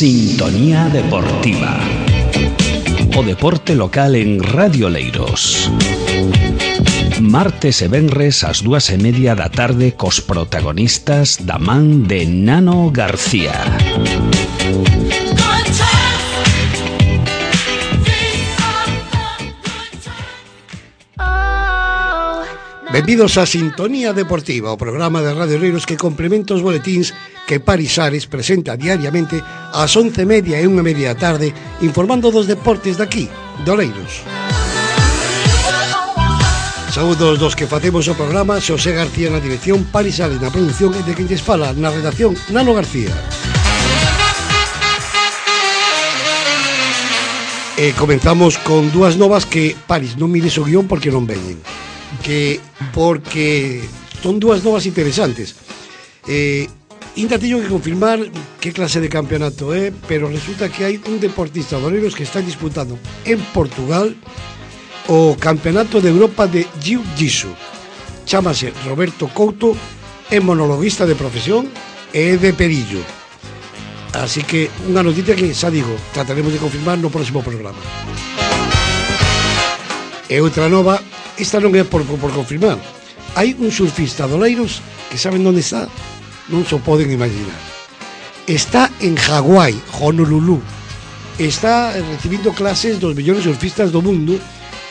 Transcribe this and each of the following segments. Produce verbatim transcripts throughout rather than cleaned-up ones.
Sintonía Deportiva. O deporte local en Radio Oleiros. Martes e venres ás dúas e media da tarde cos protagonistas da man de Nano García. Benvidos a Sintonía Deportiva, o programa de Radio Oleiros que complementa os boletíns que Paris Ares presenta diariamente ás once e media e unha media da tarde, informando dos deportes daqui, de Oleiros. Saúdos dos que facemos o programa, Xosé García na dirección, Paris Ares na produción e de quen lles fala na redacción, Nano García. E comenzamos con dúas novas que, Paris, non mires o guión porque non veñen. Que porque son dúas novas interesantes. Eh, ainda teño que confirmar que clase de campeonato é, pero resulta que hai un deportista de Oleiros que está disputando en Portugal o Campeonato de Europa de Jiu-Jitsu. Chámase Roberto Couto, é monologuista de profesión e é de Perillo. Así que unha noticia que, xa digo, trataremos de confirmar no próximo programa. E outra nova, esta non é por, por, por confirmar. Hai un surfista de Oleiros que saben onde está, non se poden imaginar. Está en Hawái, Honolulu. Está recibindo clases dos mellores surfistas do mundo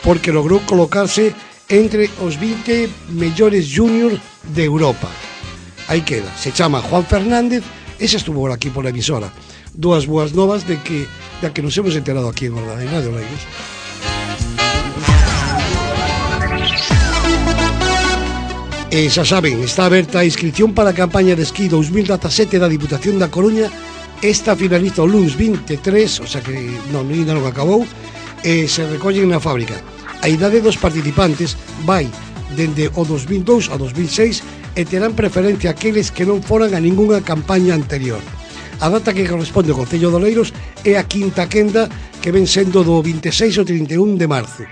porque logrou colocarse entre os vinte mellores juniors de Europa. Aí queda, se chama Juan Fernández, ese estuvo aquí pola emisora. Dúas boas novas de que, de que nos hemos enterado aquí en Radio Oleiros. E xa saben, está aberta a inscripción para a campaña de esquí dos mil dezasete da Diputación da Coruña. Esta finaliza o luns vinte e tres, o sea que non, ainda non acabou, e se recollen na fábrica. A idade dos participantes vai dende o dos mil dous a dos mil seis e terán preferencia aqueles que non foran a ningunha campaña anterior. A data que corresponde ao Concello de Oleiros é a quinta quenda, que ven sendo do vinte e seis ao trinta e un de marzo.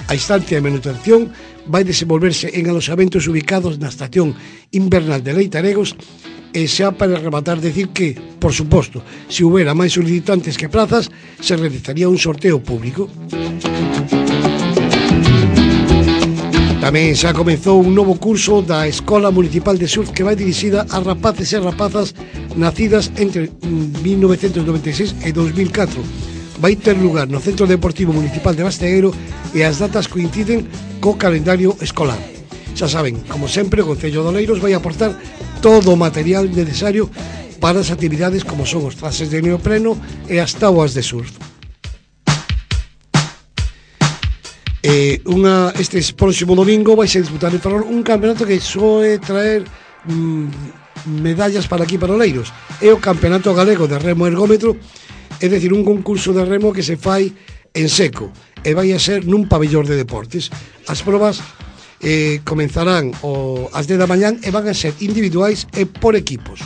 A instancia de manutención vai desenvolverse en aloxamentos ubicados na estación invernal de Leitaregos e xa para rematar decir que, por suposto, se houbera máis solicitantes que plazas, se realizaría un sorteo público. Tamén xa comezou un novo curso da Escola Municipal de Surf que vai dirixida a rapaces e rapazas nacidas entre mil novecentos noventa e seis e dos mil catro. Vai ter lugar no Centro Deportivo Municipal de Bastegueiro e as datas coinciden co calendario escolar. Xa saben, como sempre, o Concello de Oleiros vai aportar todo o material necesario para as actividades como son os traxes de neopreno e as táboas de surf. Eh, unha, este próximo domingo vai ser disputar en Ferrol un campeonato que soe traer mm, medallas para aquí para Oleiros. É o Campeonato Galego de Remo Ergómetro, é dicir, un concurso de remo que se fai en seco e vai a ser nun pabellón de deportes. As probas eh, comenzarán o, as dez da mañán e van a ser individuais e por equipos.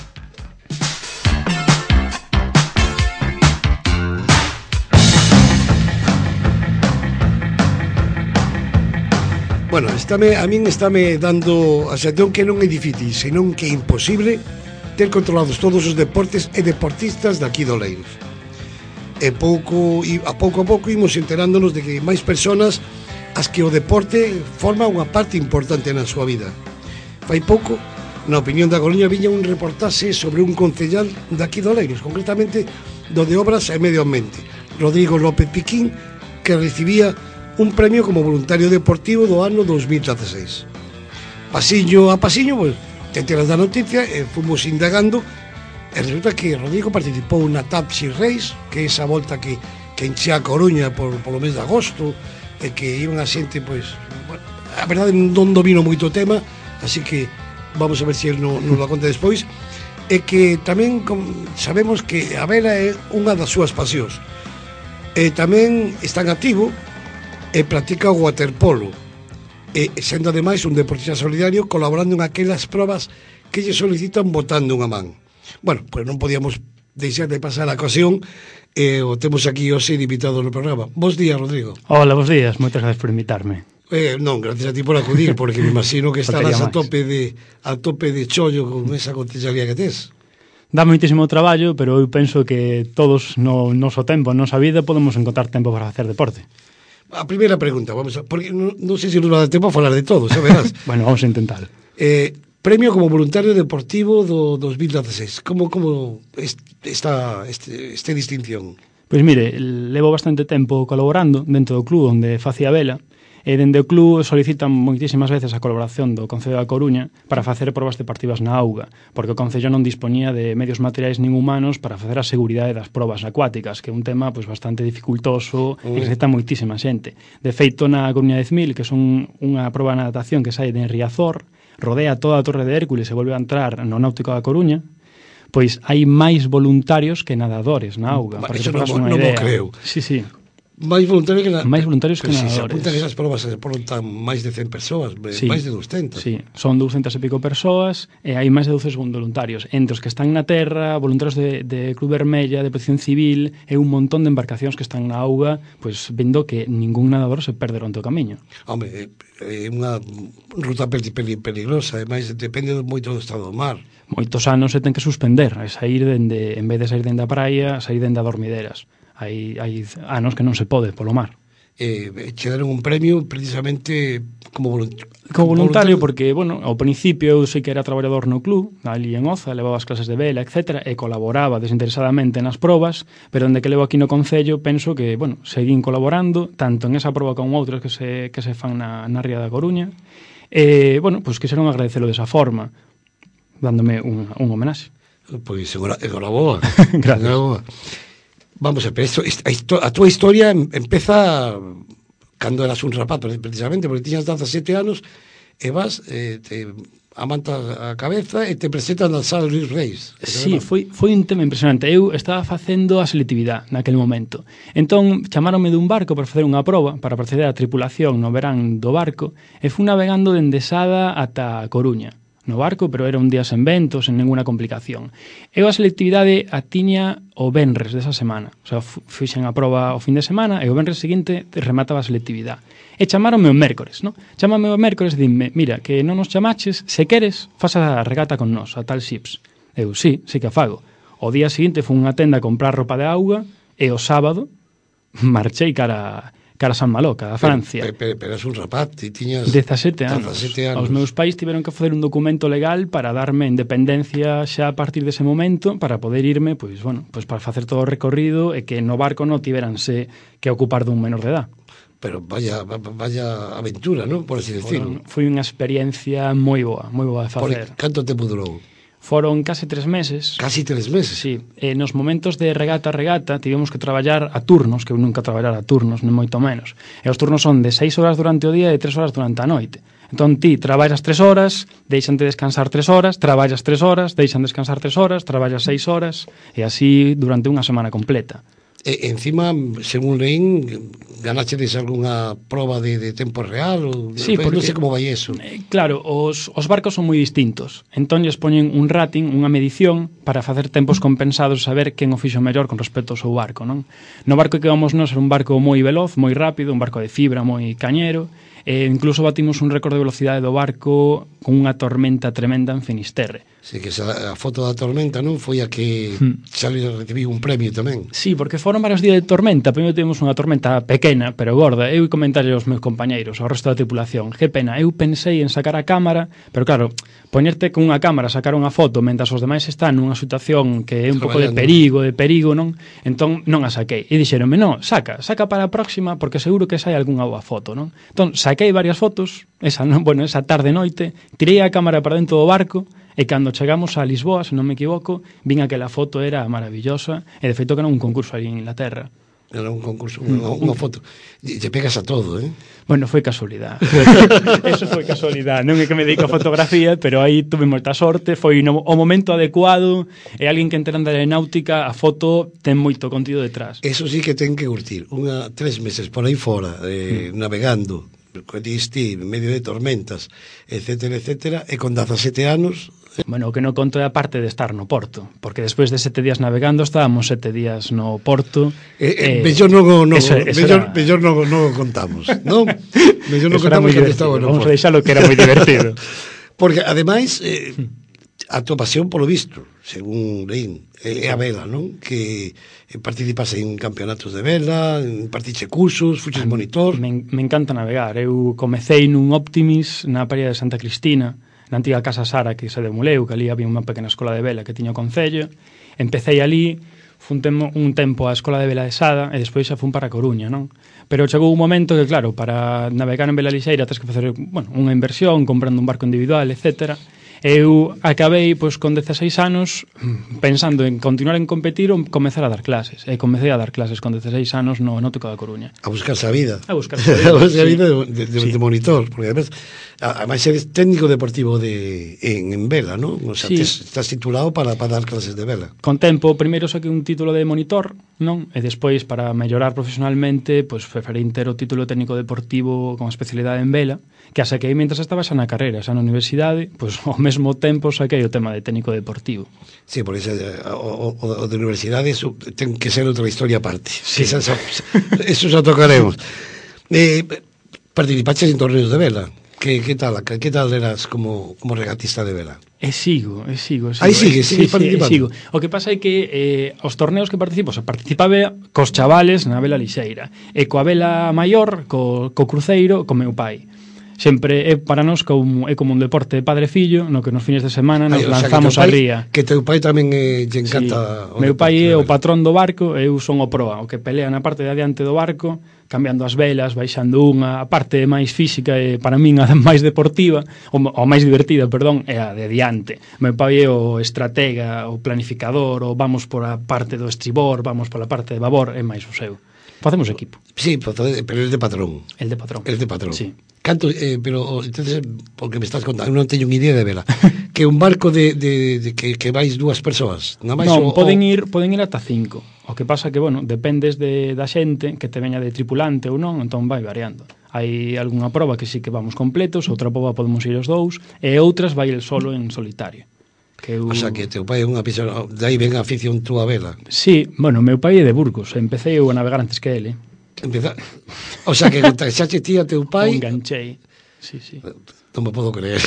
Bueno, estáme, a min estáme dando a sensación que non é difícil, senón que é imposible ter controlados todos os deportes e deportistas daqui de Oleiros. E pouco, e a pouco a pouco imos enterándonos de que máis personas as que o deporte forma unha parte importante na súa vida. Fai pouco, na Opinión da Coruña, viña un reportaxe sobre un concellal daqui de Oleiros, concretamente do de Obras e Medio Ambiente, Rodrigo López Piquín, que recibía un premio como voluntario deportivo do ano dos mil dezaseis. Pasiño a pasiño, pues, te enteras da noticia e fomos indagando. E resulta que Rodrigo participou na Tapsi Race, que é esa volta que, que enchea a Coruña por, por o mes de agosto, e que iban a xente, pois, bueno, a verdade non domino moito o tema, así que vamos a ver se ele non no lo conta despois, e que tamén com, sabemos que a vela é unha das súas pasións. E tamén está en activo e practica o waterpolo, e sendo ademais un deportista solidario colaborando en aquelas probas que lle solicitan botando unha man. Bueno, pois non podíamos deixar de pasar a ocasión e eh, o temos aquí hoxe invitado no programa. Bos días, Rodrigo. Hola, bos días, moitas gracias por invitarme. Eh, non, gracias a ti por acudir, porque me imagino que estarás a tope de a tope de chollo con esa concellería que tes. Dá moitísimo traballo, pero eu penso que todos no noso tempo, na nosa vida, podemos encontrar tempo para facer deporte. A primeira pregunta, vamos a, porque non, non sei se nos va a dar tempo a falar de todo, xa verás. Bueno, vamos a intentar. Eh, premio como voluntario deportivo do dos mil dieciséis. Como como esta este, este distinción? Pois mire, levo bastante tempo colaborando dentro do club onde facía vela, e dende o club solicitan moitísimas veces a colaboración do Concello da Coruña para facer probas deportivas na auga, porque o Concello non dispoñía de medios materiais nin humanos para facer a seguridade das probas acuáticas, que é un tema pois bastante dificultoso e que necesita moitísima xente. De feito, na Coruña dez mil, que son unha proba de natación que sai de Riazor, rodea toda a Torre de Hércules e volve a entrar no Náutico da Coruña, pois hai máis voluntarios que nadadores na auga. Ba, eso non, non mo creo. Sí, sí. máis voluntarios que, na... máis voluntarios que nadadores. Si se apuntan esas probas, se apuntan máis de cen persoas, sí, máis de doscientas. Sí, son doscientas e pico persoas e hai máis de doce voluntarios, entre os que están na terra, voluntarios de, de Cruz Vermella, de Protección Civil e un montón de embarcacións que están na auga, pois vendo que ningún nadador se perde durante o camiño. Home, é unha ruta peligrosa, e máis depende moito do estado do mar. Moitos anos se ten que suspender, a sair dende, en vez de sair dende a praia, a sair dende a dormideiras. Hai, hai anos que non se pode polo mar. Eh, che deron un premio precisamente como voluntario. Como voluntario porque, bueno, ao principio eu sei que era traballador no club, ali en Oza, levaba as clases de vela, etcétera, e colaboraba desinteresadamente nas probas, pero onde que levo aquí no Concello penso que, bueno, seguín colaborando, tanto en esa proba como outras que se, que se fan na, na Ría da Coruña, e, bueno, pois pues, quixeron agradecelo desa forma, dándome un, un homenaxe. Pois, enhoraboa. Gracias. Enhoraboa. Vamos a ver, esto, a, a túa historia empeza cando eras un rapaz, precisamente, porque tiñas dezasete anos e vas, eh, te amantas a cabeza e te presentan al Sala Luis Reis. Sí, foi, foi un tema impresionante. Eu estaba facendo a selectividade naquele momento. Entón, chamaronme dun barco para facer unha proba, para proceder a tripulación no verán do barco, e fui navegando dende Sada ata Coruña. No barco, pero era un día sen vento, sen ninguna complicación. Eu a selectividade a tiña o venres desa semana. O sea, fixen a proba o fin de semana e o venres seguinte remataba a selectividade. E chamaronme o mércores, non? Chámame o mércores e dime, mira, que non nos chamaches, se queres, faz a regata con nós, a tal Xips. Eu, sí, sí que a fago. O día seguinte fui unha tenda a comprar roupa de auga e o sábado marchei cara... cara a San Malo, cara a Francia. Pero, pero, pero és un rapaz, ti tiñas dezasete anos. dezasete anos. Os meus pais tiveron que facer un documento legal para darme independencia xa a partir dese momento para poder irme, pois, bueno, pois para facer todo o recorrido e que no barco non tiveranse que ocupar dun menor de edad. Pero vaya, vaya aventura, ¿no? Por así decirlo. Foi unha experiencia moi boa, moi boa de facer. Por canto tempo durou? Foron case tres meses. Casi tres meses? Sí. E nos momentos de regata a regata tivemos que traballar a turnos, que eu nunca traballar a turnos, nem moito menos. E os turnos son de seis horas durante o día e tres horas durante a noite. Entón ti traballas tres horas, deixan de descansar tres horas, traballas tres horas, deixan descansar tres horas, traballas seis horas, e así durante unha semana completa. E, encima, según leín, ganachedes algunha proba de, de tempo real? Ou, sí, porque, non sei como vai eso. Eh, claro, os, os barcos son moi distintos. Entón, lles poñen un rating, unha medición, para facer tempos compensados e saber quen o fixo mellor con respecto ao seu barco, non? No barco que vamos nós era un barco moi veloz, moi rápido, un barco de fibra moi cañero, e incluso batimos un récord de velocidade do barco con unha tormenta tremenda en Finisterre. Sí, que esa, a foto da tormenta non foi a que hmm. Xavi recibiu un premio tamén. Sí, porque foron varios días de tormenta. Primeiro tivemos unha tormenta pequena, pero gorda. Eu comentarei aos meus compañeiros, ao resto da tripulación, que pena, eu pensei en sacar a cámara, pero claro, poñerte con unha cámara, sacar unha foto mentras os demais están nunha situación que é un pouco de perigo, de perigo, non? Entón non a saquei. E dixeronme, non, saca, saca para a próxima porque seguro que sai algunha boa foto, non? Entón saquei varias fotos, esa, non, bueno, esa tarde noite, tirei a cámara para dentro do barco. E cando chegamos a Lisboa, se non me equivoco, vin que a foto era maravillosa e de feito que era un concurso ali en Inglaterra. Era un concurso, unha, unha foto. Te pegas a todo, eh? Bueno, foi casualidade. Eso foi casualidade. Non é que me dedico a fotografía, pero aí tuve moita sorte, foi no, o momento adecuado, e alguén que entera de aeronáutica, a foto ten moito contido detrás. Eso sí que ten que curtir. Unha, tres meses por aí fora, eh, mm. navegando, que diste, en medio de tormentas, etcétera, etcétera, e con dezasete anos... Bueno, o que non conto é a parte de estar no porto, porque despois de sete días navegando estábamos sete días no porto. Eh, eh, mellor non no, eso, eso mellor, era... mellor non no contamos, non? Mellor non contamos que estaba no porto. Vamos a deixalo que era moi divertido. Porque ademais eh, a tua pasión polo visto, según leín, é a vela, non? Que participas en campeonatos de vela, partiche cursos, fuches monitor. Me, me encanta navegar. Eu comecei nun Optimis na Paria de Santa Cristina, na antiga Casa Sara que se demoleu, que ali había unha pequena escola de vela que tiña o concello. Empecei ali, fun temo, un tempo á escola de vela de Sada e despois xa fun para a Coruña, non? Pero chegou un momento que, claro, para navegar en vela lixeira tens que facer, bueno, unha inversión, comprando un barco individual, etcétera. Eu acabei, pois, con dezaseis anos pensando en continuar en competir ou comezar a dar clases. E comecei a dar clases con dezaseis anos no Náutico da Coruña. A buscarse a vida. A buscarse a vida, a buscarse a sí. vida de, de, Sí. de monitor, porque además, además eres técnico deportivo de, en, en vela, ¿no? O sea, Sí. tes, estás titulado para, para dar clases de vela. Con tempo, primeiro saquei un título de monitor, non? E despois, para mellorar profesionalmente, pois preferí ter o título técnico deportivo con especialidade en vela, que a saquei mentres estaba xa na carreira, xa na universidade, pois ao mesmo tempo saquei o tema de técnico deportivo. Sí, por eso o, o, o de universidade eso ten que ser outra historia aparte. Sí. Esa, esa, eso xa tocaremos. Eh, participaches en torneos de vela. Que, que tal, que, que tal eras como, como regatista de vela? E sigo, e sigo, e sigo. Aí sigue, sigue sí, participando. Sí, sigo. O que pasa é que eh, os torneos que participo, o sea, participaba cos chavales na vela lixeira, e coa vela maior, co, co cruceiro, co meu pai. Sempre é para nós como, é como un deporte padre-fillo, no que nos fines de semana nos Ay, o sea, lanzamos que teu a pai, ría. Que teu pai tamén eh, lle encanta... Sí. Meu pai é o patrón do barco e eu son o proa, o que pelea na parte de adiante do barco, cambiando as velas, baixando unha, a parte máis física e para min a máis deportiva, ou, ou máis divertida, perdón, é a de adiante. Meu pai é o estratega, o planificador, ou vamos por a parte do estribor, vamos pola parte de babor, é máis o seu. Facemos equipo. Sí, pero es de patrón. El de patrón. El de patrón. Sí. Canto, eh, pero entonces, porque me estás contando, non teño unha idea de vela. Que un barco de, de, de que, que vais dúas persoas, nada máis Non, o, poden o... ir, poden ir ata cinco. O que pasa que, bueno, dependes de, da xente que te veña de tripulante ou non, entón vai variando. Hai algunha proba que sí que vamos completos, outra proba podemos ir os dous, e outras vai el solo en solitario. Que eu... O sea, que teu pai é unha pisona, de aí ven a afición túa vela. Sí, bueno, meu pai é de Burgos, empecé eu a navegar antes que ele. Empeza... O sea, que contactaxe ti a teu pai... Enganchei. Sí, sí. Non me podo creer.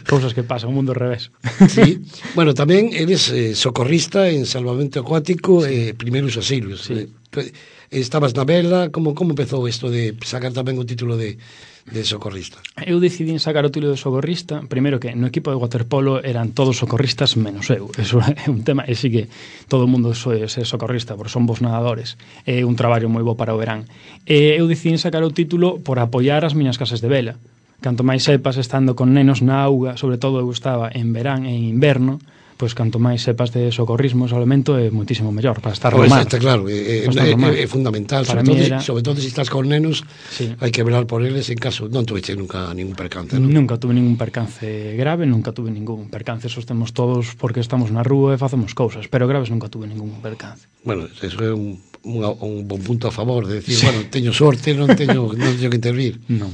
Cousas que pasan, o mundo ao revés. Sí. Bueno, tamén eres eh, socorrista en salvamento acuático e sí. eh, primeiros auxilios. Sí. Eh, estabas na vela, como como empezou isto de sacar tamén o título de de socorrista? Eu decidín sacar o título de socorrista, primeiro que no equipo de waterpolo eran todos socorristas menos eu. Eso é un tema, e sí que todo o mundo soe ser socorrista, porque son vos nadadores. É un traballo moi bo para o verán. E eu decidín sacar o título por apoiar as miñas clases de vela. Canto máis sepas estando con nenos na auga, sobre todo eu estaba en verán e en inverno, pois canto máis sepas de socorrismo e salvamento é moitísimo mellor para estar no mar. Está claro, é, é, é, é fundamental, sobre todo, era... sobre todo se estás con nenos, sí. Hai que velar por eles en caso, non tuveche nunca ningún percance, non? Nunca tuve ningún percance grave, nunca tuve ningún percance, sostemos todos porque estamos na rúa e facemos cousas, pero graves nunca tuve ningún percance. Bueno, eso é un, un, un bon punto a favor, de decir, sí. Bueno, teño sorte, non teño, non teño que intervir. Non.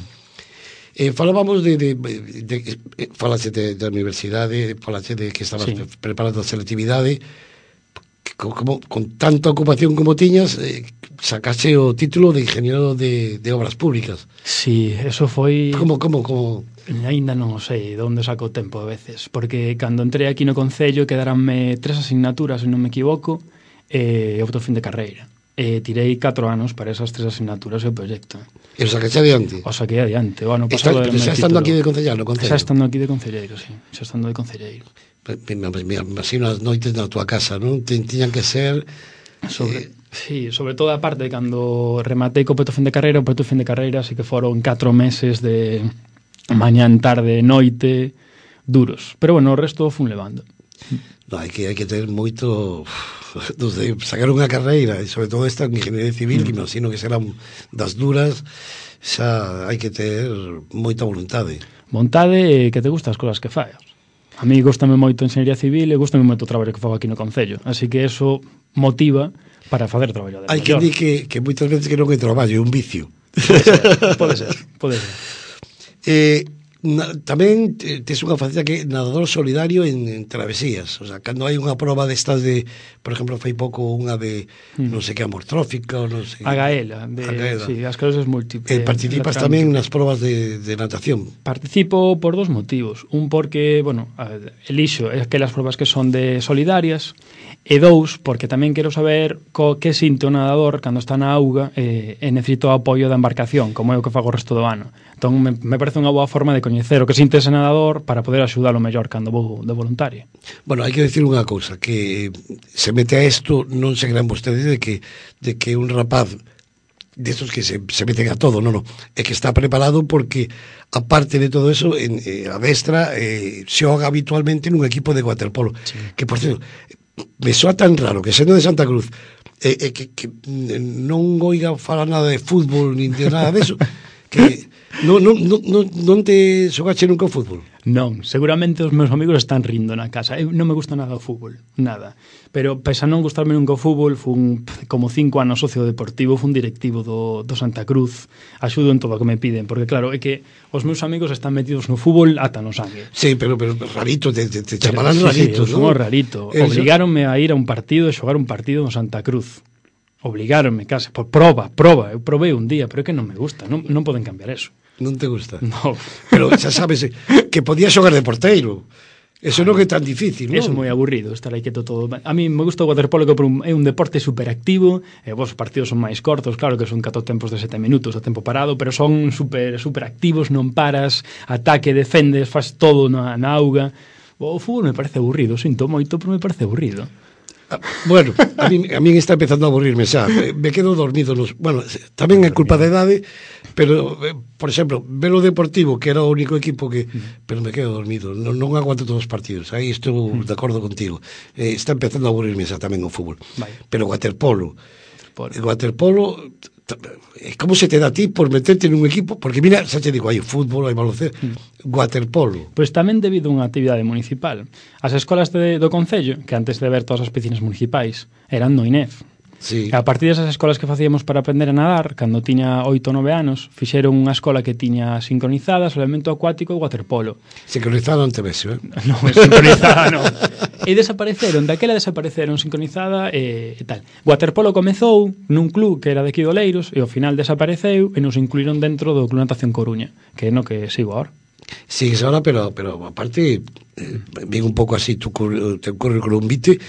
Eh, falábamos de, de, de, de falaste de, de universidade, falaste de que estabas sí. preparando a selectividade, como, con tanta ocupación como tiñas, eh, sacaste o título de ingeniero de, de obras públicas. Sí, eso foi... Como, como, como? Ainda non sei de onde saco o tempo a veces, porque cando entrei aquí no Concello quedaranme tres asignaturas, se non me equivoco, e outro fin de carreira. E tirei catro anos para esas tres asignaturas e o proxecto. E o sacaste adiante? O saquei adiante. O ano pasado Está, xa estando aquí de concelleiro, concello? Xa estando aquí de concelleiro, sí. Xa estando de concelleiro. Me, me, me imagino as noites na tua casa, non? Tiñan que ser... Sobre, eh... Sí, sobre todo a parte de cando rematei co peto fin de carreira, o peto fin de carreira, así que foron catro meses de mañán, tarde, noite, duros. Pero bueno, o resto fun levando. No, hai que, hai que ter moito... De sacar unha carreira, e sobre todo esta en ingeniería civil, mm. que imagino que serán das duras, xa hai que ter moita voluntade. Vontade e que te gustan as cousas que fai. A mí gustame moito a enxeñería civil e gustame moito o traballo que fago aquí no Concello, así que eso motiva para facer traballo de hai que dir que, que moitas veces que non é traballo, é un vicio. Pode ser, pode ser, pode ser. Eh, Na, tamén tes unha faceta que nadador solidario en, en travesías, o sea, cando hai unha proba destas de, por exemplo, fai pouco unha de mm. non sei que amortrófica ou non sei. A gaela, de, a gaela. Sí, as esclerosis múltiples. Eh, participas tamén nas probas de, de natación? Participo por dos motivos. Un porque, bueno, elixo aquelas probas que son de solidarias, e dous, porque tamén quero saber co que sinto o nadador cando está na auga e, e necesito o apoio da embarcación, como é o que fago o resto do ano. Entón, me, me parece unha boa forma de coñecer o que sinte ese nadador para poder axudalo mellor cando vou de voluntario. Bueno, hai que decir unha cousa, que se mete a isto, non se crean vostedes de que, de que un rapaz destos que se, se meten a todo, non, non, é que está preparado porque, aparte de todo eso, en, eh, a destra eh, se xoga habitualmente nun equipo de waterpolo, sí. Que, por cierto, me soa tan raro que sendo de Santa Cruz eh, eh, que, que non oiga falar nada de fútbol ni de nada deso, que non, non, non, non te xogache nunca o fútbol? Non, seguramente os meus amigos están rindo na casa. Eu non me gusta nada o fútbol, nada. Pero, pese a non gustarme nunca o fútbol, fun como cinco anos socio deportivo, fun directivo do, do Santa Cruz, axudo en todo o que me piden, porque claro, é que os meus amigos están metidos no fútbol ata no sangue. Sí, pero, pero rarito, te, te, te chamarán sí, rarito, sí, ¿no? Somos rarito. Eso. Obligáronme a ir a un partido e xogar un partido no Santa Cruz. Obligáronme, case, por proba, proba. Eu probei un día, pero é que non me gusta, non, non poden cambiar eso. Non te gusta? No. Pero xa sabes que podías xogar de porteiro. Eso non é tan difícil, non? Eso é moi aburrido, estar aí quieto todo. A mí me gusta o waterpolo, que é un deporte superactivo, e vos partidos son máis cortos, claro que son catro tempos de sete minutos o tempo parado, pero son super, super activos, non paras, ataque, defendes, faz todo na, na auga. O fútbol me parece aburrido, sinto moito, pero me parece aburrido. Bueno, a mí, a mí está empezando a aburrirme xa. Me quedo dormido nos... Bueno, tamén é culpa da idade, pero, por exemplo, velo Deportivo, que era o único equipo que... Pero me quedo dormido, non, non aguanto todos os partidos. Aí estou de acordo contigo. Eh, está empezando a aburrirme xa tamén o fútbol. Vale. Pero o waterpolo... O waterpolo... Como se te dá a ti por meterte nun equipo? Porque mira, xa te digo, hai fútbol, hai baloncesto, mm. waterpolo. Pois tamén debido a unha actividade municipal. As escolas de, do Concello, que antes de ver todas as piscinas municipais, eran no I N E F. Sí. A partir desas escolas que facíamos para aprender a nadar, cando tiña oito ou nove anos, fixeron unha escola que tiña sincronizada solamente acuático e waterpolo. Sincronizada non te vexo, eh? Non, sincronizada non. E desapareceron, daquela desapareceron sincronizada e, e tal. Waterpolo comezou nun club que era de aquí de Oleiros e ao final desapareceu e nos incluíron dentro do Club Natación Coruña, que é no que sigo ahora. Sigues ahora, pero, pero aparte, eh, ven un pouco así tu teu currículum vitae,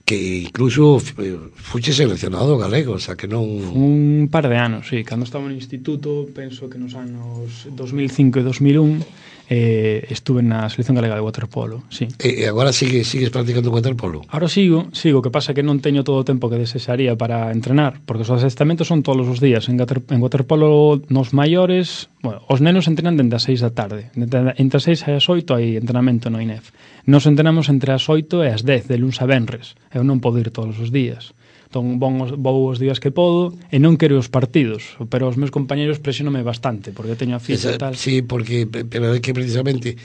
que incluso fuche seleccionado galego, o sea que non... Un par de anos, sí. Cando estaba no instituto, penso que nos anos dos mil cinco e dos mil un, eh, estuve na selección galega de waterpolo, sí. E agora sigue, sigues practicando waterpolo? Ahora sigo, sigo, que pasa que non teño todo o tempo que desexaría para entrenar, porque os adestamentos son todos os días. En, en waterpolo nos maiores, bueno, os nenos entrenan dende as seis da tarde. Entre as seis e as oito hai entrenamento no I N E F. Nos entrenamos entre as oito e as dez, de luns a venres. Eu non podo ir todos os días. Entón, vou os días que podo e non quero os partidos, pero os meus compañeros presionome bastante, porque teño a fisa e tal. Sí, porque, pero é que precisamente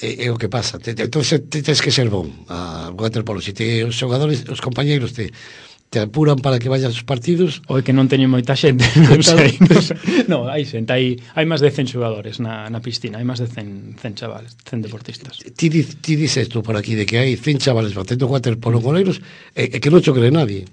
é, é o que pasa. Entón, te, tens que ser bon a waterpolo. Se te, os xogadores, os compañeiros te... te apuran para que vayas aos partidos. O é que non teño moita xente, non sei. Non, hai xente, hai, hai máis de cen xogadores na, na piscina, hai máis de cen, cen chavales, cen deportistas. Ti, ti dices tú por aquí de que hai cen chavales batendo waterpolo goleiros e, e que non cho cree nadie.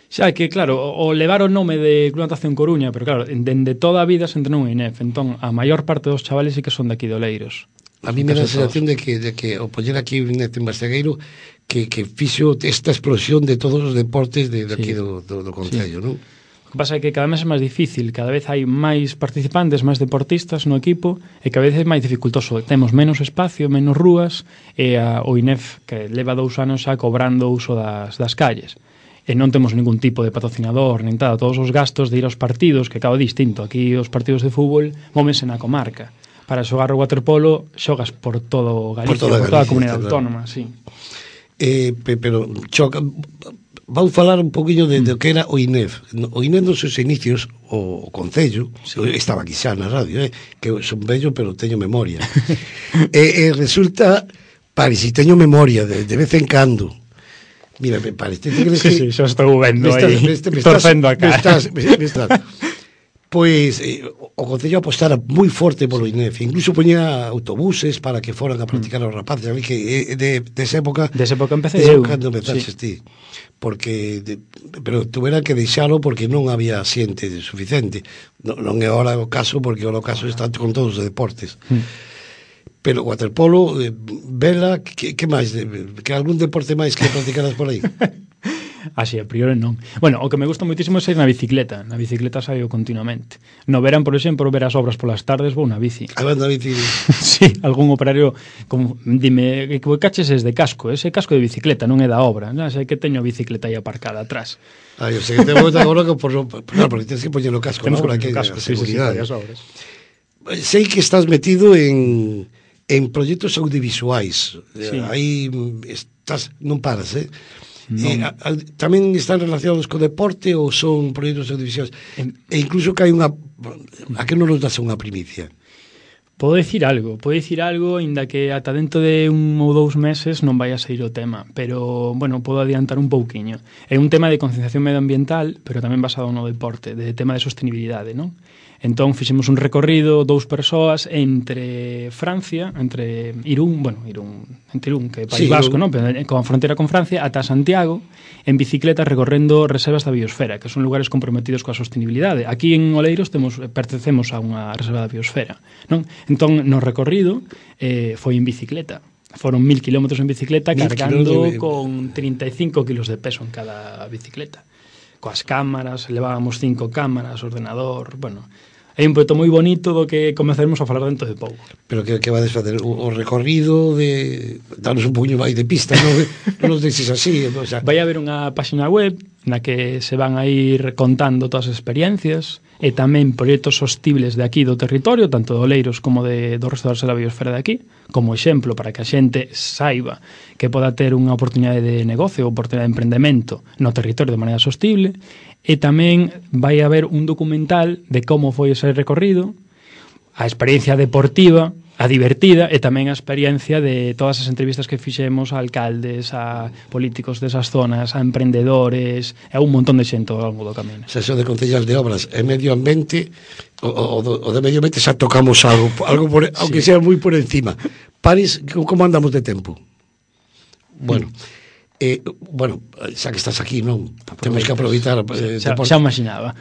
Xa que, claro, o levar o nome de Club Natación Coruña, pero claro, dende toda a vida se entrenou en I N E F, entón a maior parte dos chavales sí que son de aquí de Oleiros. A mí me dá a sensación de que, de que o poñer aquí un I N E F en Bastegueiro que, que fixo esta explosión de todos os deportes de, de aquí sí. do, do, do Concello, sí. Non? O que pasa é que cada vez é máis difícil, cada vez hai máis participantes, máis deportistas no equipo, e cada vez é máis dificultoso. Temos menos espacio, menos rúas, e a, o I N E F, que leva dous anos xa cobrando o uso das, das calles. E non temos ningún tipo de patrocinador, nin nada. Todos os gastos de ir aos partidos, que cada distinto. Aquí os partidos de fútbol móvense na comarca. Para xogar o waterpolo xogas por todo Galicia, por toda, por toda a comunidade autónoma, sí. Eh, pero choca, vou falar un poquinho de, de que era o I N E F. O I N E F nos seus inicios, o, o Concello, sí. Estaba aquí xa na radio, eh, que son bello, pero teño memoria. e, e resulta, pare, si teño memoria de, de vez en cando. Mira, me parece que... Sí, sí, xa estou vendo aí, me estás, torcendo a cara. Me estás, me, me estás. Pois eh, o Concello apostara moi forte polo INEF, incluso poñía autobuses para que foran a practicar os rapaces, a mí que eh, de, de esa época Desa época empecé eu eu. cando empezaches sí. ti, porque de, pero tuveran que deixalo porque non había xente suficiente. Non, non é ahora o caso, porque ahora o caso está con todos os deportes. Mm. Pero waterpolo, eh, vela, que, que máis? Que algún deporte máis que practicaras por aí? Así, a priori non. Bueno, o que me gusta moitísimo é sair na bicicleta. Na bicicleta saio continuamente. No verán, por exemplo, ver as obras polas tardes, vou na bici. A ver, na bici. Sí, algún operario, como, dime, que caches es de casco, ese casco de bicicleta, non é da obra. Non sei que teño a bicicleta aí aparcada atrás. Ah, eu sei que te vou dar agora por, por, claro, porque tens que poñer o casco, Temos ¿no? que Para que casco, a sí, sí, sí, seguridade. sí, obras. Sei que estás metido en en proxectos audiovisuais. Sí. Aí estás, non paras, eh? Eh, a, a, tamén están relacionados co deporte ou son proxectos audiovisuais? En, e incluso que hai unha... A que non nos das unha primicia? Podo dicir algo, podo dicir algo, inda que ata dentro de un ou dous meses non vai a sair o tema, pero, bueno, podo adiantar un pouquiño. É un tema de concienciación medioambiental, pero tamén basado no deporte, de tema de sostenibilidade, non? Entón, fixemos un recorrido, dous persoas, entre Francia, entre Irún, bueno, Irún, entre Irún, que é País sí, Vasco, non? Pero con a fronteira con Francia, ata Santiago, en bicicleta recorrendo reservas da biosfera, que son lugares comprometidos coa sostenibilidade. Aquí en Oleiros temos, pertencemos a unha reserva da biosfera, non? Entón, no recorrido, eh, foi en bicicleta. Foron mil kilómetros en bicicleta, cargando de... con trinta e cinco kilos de peso en cada bicicleta. Coas cámaras, levábamos cinco cámaras, ordenador, bueno... É un proxecto moi bonito do que comezaremos a falar dentro de pouco. Pero que, que vades facer? O, o recorrido de... Danos un poquinho máis de pista, non, non nos deixes así. O sea... Vai haber unha página web na que se van a ir contando todas as experiencias e tamén proxectos sostibles de aquí do territorio, tanto de Oleiros como de, do resto da biosfera de aquí, como exemplo para que a xente saiba que poda ter unha oportunidade de negocio ou oportunidade de emprendemento no territorio de maneira sostible. E tamén vai haber un documental de como foi ese recorrido, a experiencia deportiva, a divertida e tamén a experiencia de todas as entrevistas que fixemos a alcaldes, a políticos desas zonas, a emprendedores e a un montón de xente ao longo do camiño. Se eso de concellas de obras e medio ambiente, o, o, o de medio ambiente xa tocamos algo, algo por, aunque sí. sea moi por encima. Paris, como andamos de tempo? Bueno... Mm. Eh, bueno, xa que estás aquí, non? Temos que aproveitar eh, xa, xa imaginaba.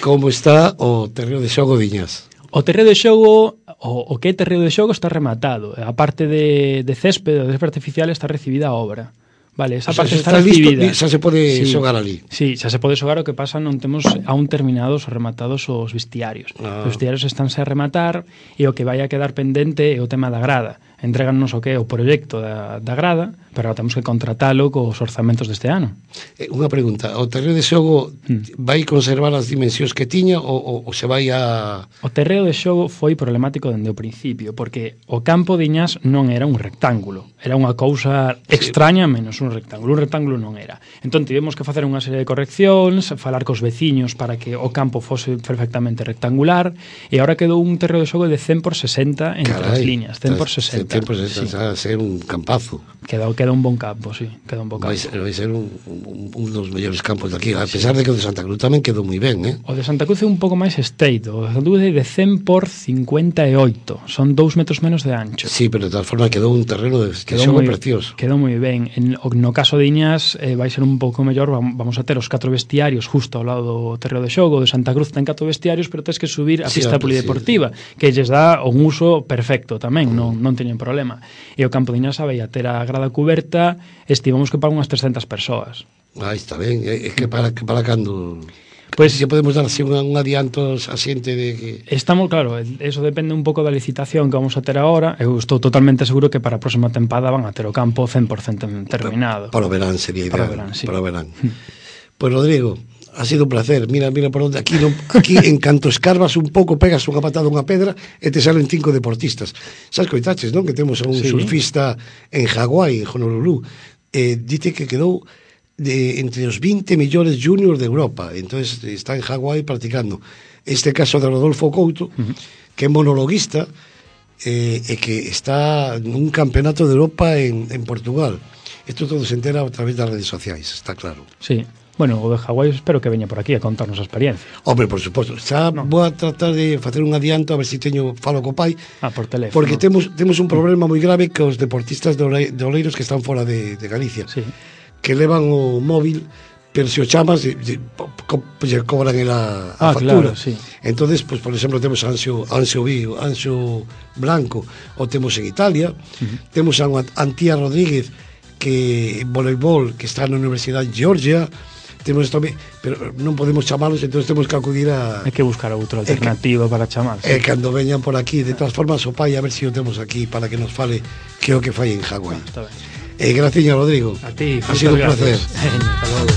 Como está o terreo de xogo Diñas? O terreo de xogo, o, o que é terreo de xogo está rematado. A parte de, de céspede, de céspede artificial, está recibida a obra. Vale, esa o sea, parte está, está recibida. Listo, xa se pode sí, xogar ali. Sí, xa se pode xogar, o que pasa non temos aún terminados ou rematados os vestiarios. Ah. Os vestiarios estánse a rematar e o que vai a quedar pendente é o tema da grada. Entréganos o que é o proxecto da, da grada, pero temos que contratalo cos orzamentos deste ano. Eh, unha pregunta, o terreo de xogo hmm. vai conservar as dimensións que tiña ou, ou, ou se vai a... O terreo de xogo foi problemático dende o principio, porque o campo de Iñás non era un rectángulo, era unha cousa extraña menos un rectángulo, un rectángulo non era. Entón tivemos que facer unha serie de correccións, falar cos veciños para que o campo fose perfectamente rectangular, e agora quedou un terreo de xogo de cen por sesenta entre Carai, as líneas, cen por sesenta. cen por sesenta, sí. Ser un campazo. Queda, queda un bon campo, sí, queda un bon campo. Vai ser, vai ser un, un, un dos mellores campos de aquí, a pesar sí. de que o de Santa Cruz tamén quedou moi ben, eh? O de Santa Cruz é un pouco máis estreito, o de Santa Cruz é de cen por cincuenta e oito, son dous metros menos de ancho. Sí, pero de tal forma quedou un terreno de que xogo precioso. Quedou moi ben. En, no caso de Iñas eh, vai ser un pouco mellor, vamos a ter os catro vestiarios justo ao lado do terreo de xogo, de Santa Cruz ten catro vestiarios, pero tens que subir a sí, pista polideportiva, sí. que lles dá un uso perfecto tamén, mm. non, non teñen problema. E o campo de Iñas vai a ter a grada cuberta, estimamos que para unhas trescentas persoas. Ah, está ben, é que para, que para cando... Pois pues, se podemos dar así un, un adianto a xente de que... Estamos, claro, eso depende un pouco da licitación que vamos a ter agora. Eu estou totalmente seguro que para a próxima tempada van a ter o campo cen por cento terminado. Para, para o verán sería ideal. Para o verán, sí. Para o verán. Pois, pues, Rodrigo, ha sido un placer. Mira, mira por onde aquí, non, aquí en canto escarbas un pouco, pegas unha patada a unha pedra e te salen cinco deportistas. Sabes coitaches, non? Que temos a un sí. surfista en Hawái, en Honolulu. Eh, dite que quedou de entre os vinte millores juniors de Europa. Entonces está en Hawái practicando. Este caso de Rodolfo Couto, uh-huh. que é monologuista eh, e que está nun campeonato de Europa en, en Portugal. Isto todo se entera a través das redes sociais, está claro. Sí. Bueno, o de Hawái espero que veña por aquí a contarnos a experiencia. Hombre, por suposto. Xa No. vou a tratar de facer un adianto a ver se si teño falo co pai. Ah, por teléfono. Porque temos temos un problema moi grave cos deportistas de, ole, de Oleiros que están fora de, de Galicia. Sí. Que levan o móvil, pero se o chamas lle, lle, co, lle cobran a, a Ah, factura. claro, sí. Entonces, pues, por exemplo, temos a Anxo, Anxo Vigo, Anxo Blanco, o temos en Italia. Uh-huh. Temos a Antía Rodríguez, que voleibol, que está na Universidade de Georgia. Temos tamén, pero non podemos chamalos, entonces temos que acudir a... Hai que buscar outra alternativa que, para chamar. E sí. Cando veñan por aquí, de todas formas, o pai, a ver se si o temos aquí para que nos fale que é o que fai en Hawái. Ah, está ben. Eh, graciña, Rodrigo. A ti, ha sido un placer. Hasta logo.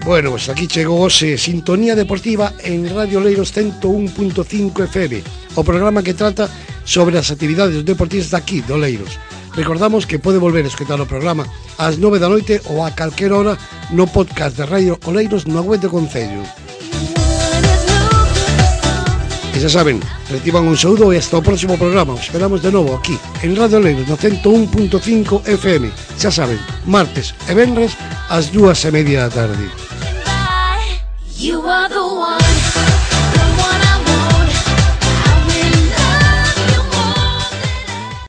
Bueno, pues aquí chegou hoxe Sintonía Deportiva en Radio Oleiros ciento un punto cinco F M, o programa que trata sobre as actividades dos deportistas daqui, de Oleiros. Recordamos que pode volver a escutar o programa ás nove da noite ou a calquera hora no podcast de Radio Oleiros no web do Concello. E xa saben, reciban un saúdo e hasta o próximo programa. Os esperamos de novo aquí, en Radio Oleiros, no ciento un punto cinco F M. Xa saben, martes e venres ás dúas e media da tarde. You are the one.